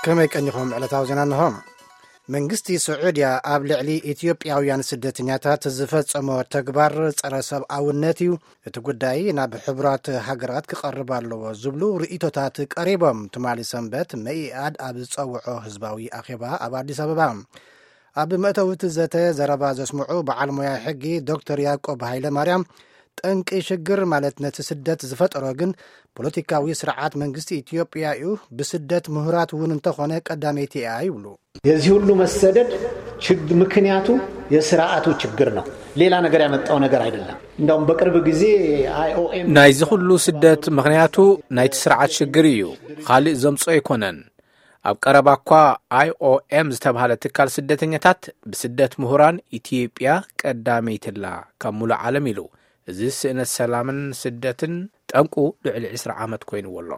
ከመይ ቀኒኹም? ዕለታዊ ዜና እንሆ። መንግስቲ ስዑድያ ኣብ ልዕሊ ኢትዮጵያውያን ስደተኛታት ዝፈጸሞ ተግባር ጸረ ሰብኣውነት እዩ። እቲ ጉዳይ ናብ ሕቡራት ሃገራት ክቐርብ ኣለዎ ዝብሉ ርእይቶታት ቀሪቦም። ትማሊ ሰንበት መኢኣድ ኣብ ዝጸውዖ ህዝባዊ ኣኼባ ኣብ ኣዲስ ኣበባ ኣብ መእተዊ እቲ ዘተ ዘረባ ዘስምዑ በዓል ሞያ ሕጊ ዶክተር ያዕቆብ ሃይለ ማርያም፣ ጠንቂ ሽግር ማለት ነቲ ስደት ዝፈጠሮ ግን ፖለቲካዊ ስርዓት መንግስቲ ኢትዮጵያ እዩ። ብስደት ምሁራት እውን እንተኾነ ቀዳመይቲ እያ ይብሉ። የዚህ ሁሉ መሰደድ ችግ- ምክንያቱ የስርዓቱ ችግር ነው። ሌላ ነገር ያመጣው ነገር አይደለም። እንደውም በቅርብ ጊዜ አይኦኤም ናይዚ ኩሉ ስደት ምኽንያቱ ናይቲ ስርዓት ሽግር እዩ። ካልእ ዘምጾ ኣይኮነን። ኣብ ቀረባ እኳ ኣይኦኤም ዝተባህለ ትካል ስደተኛታት ብስደት ምሁራን ኢትዮጵያ ቀዳመይትላ ካብ ሙሉእ ዓለም ኢሉ። እዚ ስእነት ሰላምን ስደትን ጠንቁ ልዕሊ ዕስራ ዓመት ኮይንዎ ኣሎ።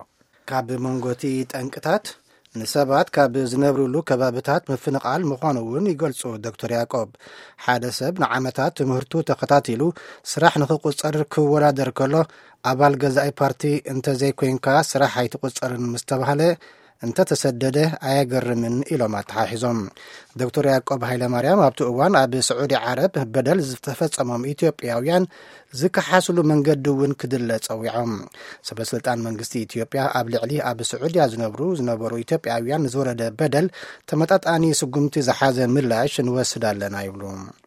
ካብ መንጎቲ ጠንቅታት ንሰባት ካብ ዝነብርሉ ከባብታት ምፍንቓል ምዃኑ እውን ይገልጹ ዶክተር ያዕቆብ። ሓደ ሰብ ንዓመታት ትምህርቱ ተኸታቲሉ ስራሕ ንኽቁጸር ክወዳደር ከሎ፣ ኣባል ገዛኢ ፓርቲ እንተዘይኮይንካ ስራሕ ኣይትቁጸርን ምስተባህለ እንተተሰደደ ኣየገርምን ኢሎም ኣተሓሒዞም። ዶክተር ያዕቆብ ሃይለማርያም ኣብቲ እዋን ኣብ ስዑዲ ዓረብ በደል ዝተፈጸሞም ኢትዮጵያውያን ዝከሓስሉ መንገዲ እውን ክድለ ጸዊዖም። ሰበስልጣን መንግስቲ ኢትዮጵያ ኣብ ልዕሊ ኣብ ስዑድያ ዝነብሩ ዝነበሩ ኢትዮጵያውያን ንዝወረደ በደል ተመጣጣኒ ስጉምቲ ዝሓዘ ምላሽ ንወስድ ኣለና ይብሉ።